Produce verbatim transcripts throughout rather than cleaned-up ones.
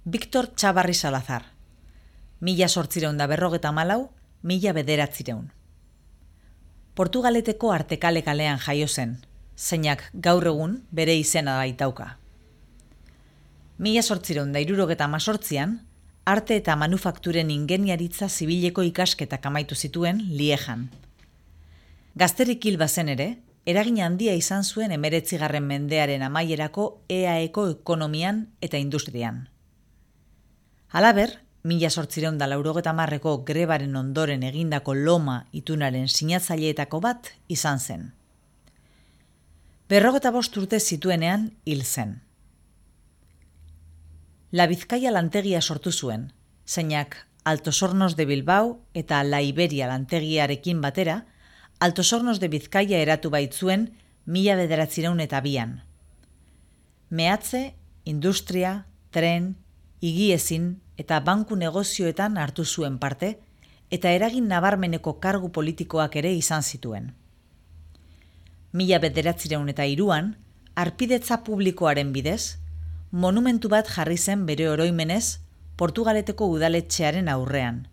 Victor Txabarri Salazar, mila sortzireun da berrogeta malau, mila bederatzireun. Portugaleteko Artekale kalean jaio zen, zeinak gaur egun bere izena baitauka. Mila sortzireun da hirurogeta hemezortzian, arte eta manufakturen ingeniaritza zibileko ikasketak amaitu zituen Liejan. Gazterik hil bazen ere, eragin handia izan zuen hemeretzigarren mendearen amaierako E A Eko ekonomian eta industrian. Halaber, mila zortzireun da laurogeta hamarreko grebaren ondoren egindako Loma itunaren sinatzaileetako bat izan zen. Berrogeta bost urte zituenean hil zen. La Bizkaia lantegia sortu zuen, zeinak Altos Hornos de Bilbao eta La Iberia lantegiarekin batera, Altos Hornos de Bizkaia eratu baitzuen mila bederatzireun eta bian. Mehatze, industria, tren, higiezin eta banku negozioetan hartu zuen parte, eta eragin nabarmeneko kargu politikoak ere izan zituen. Mila bederatzireun eta hiruan, harpidetza publikoaren bidez, monumentu bat jarri zen bere oroimenez Portugaleteko udaletxearen aurrean.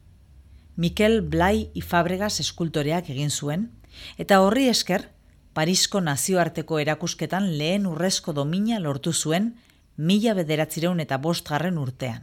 Mikel Blai y Fabregas eskultoreak egin zuen, eta horri esker, Parisko nazioarteko erakusketan lehen urrezko domina lortu zuen mila bederatzireun eta bostgarren urtean.